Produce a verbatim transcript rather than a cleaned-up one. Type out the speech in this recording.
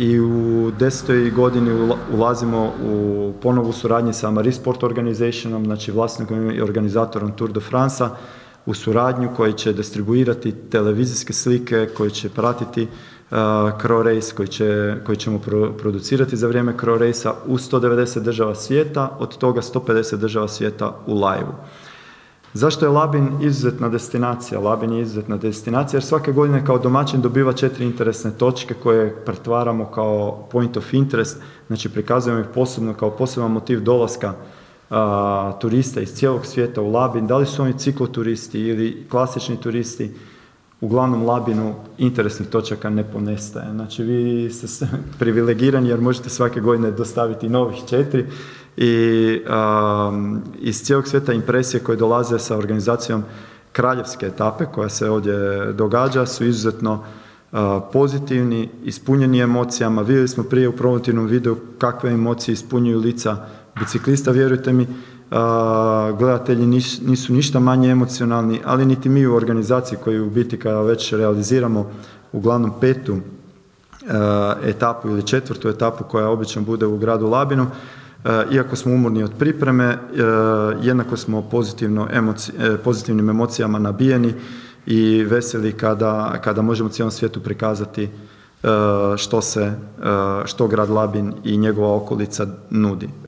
i u desetoj godini ulazimo u ponovu suradnji sa Maris Sport Organizationom, znači vlasnikom i organizatorom Tour de France-a, u suradnju koji će distribuirati televizijske slike, koji će pratiti uh, Cro Race, koji, će, koji ćemo pro, producirati za vrijeme Cro Race-a u sto devedeset država svijeta, od toga sto pedeset država svijeta u live-u. Zašto je Labin izuzetna destinacija? Labin je izuzetna destinacija jer svake godine kao domaćin dobiva četiri interesne točke koje pretvaramo kao point of interest, znači prikazujemo ih posebno kao poseban motiv dolaska a, turista iz cijelog svijeta u Labin. Da li su oni cikloturisti ili klasični turisti, uglavnom Labinu interesnih točaka ne ponestaje. Znači vi ste privilegirani jer možete svake godine dostaviti novih četiri i um, iz cijelog svijeta impresije koje dolaze sa organizacijom kraljevske etape koja se ovdje događa su izuzetno uh, pozitivni, ispunjeni emocijama. Vidjeli smo prije u promotivnom videu kakve emocije ispunjuju lica biciklista, vjerujte mi. Uh, gledatelji nis, nisu ništa manje emocionalni, ali niti mi u organizaciji koji u biti kada već realiziramo uglavnom petu uh, etapu ili četvrtu etapu koja obično bude u gradu Labinu, uh, iako smo umorni od pripreme, uh, jednako smo pozitivno emoci, uh, pozitivnim emocijama nabijeni i veseli kada, kada možemo cijelom svijetu prikazati uh, što se, uh, što grad Labin i njegova okolica nudi.